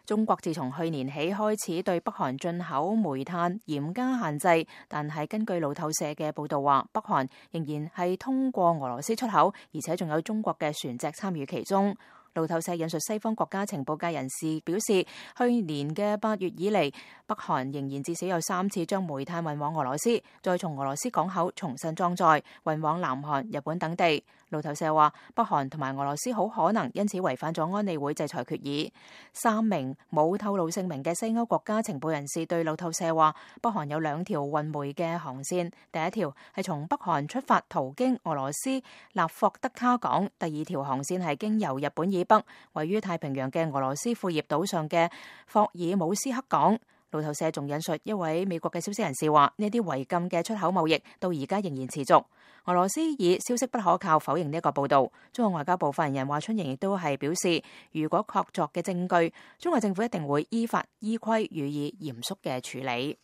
中國自從去年起開始對北韓進口煤炭嚴加限制，但係根據路透社嘅報道話，北韓仍然係通過俄羅斯出口，而且仲有中國嘅船隻參與其中。路透社引述西方國家情報界人士表示，去年嘅8月以嚟，北韓仍然至少有3次將煤炭運往俄羅斯，再從俄羅斯港口重新裝載，運往南韓、日本等地。路透社話，北韓同埋俄羅斯好可能因此違反咗安理會制裁決議。3名冇透露姓名嘅西歐國家情報人士對路透社話，北韓有2條運煤嘅航線，第一條係從北韓出發途經俄羅斯納霍德卡港，第2條航線係經由日本以北位於太平洋嘅俄羅斯庫頁島上嘅霍爾姆斯克港。路透社仲引述一位美國嘅消息人士話，呢啲違禁嘅出口貿易到而家仍然持續。俄羅斯以消息不可靠否認呢一個報道。中國外交部發言人華春瑩亦都係表示，如果確鑿嘅證據，中國政府一定會依法依規予以嚴肅嘅處理。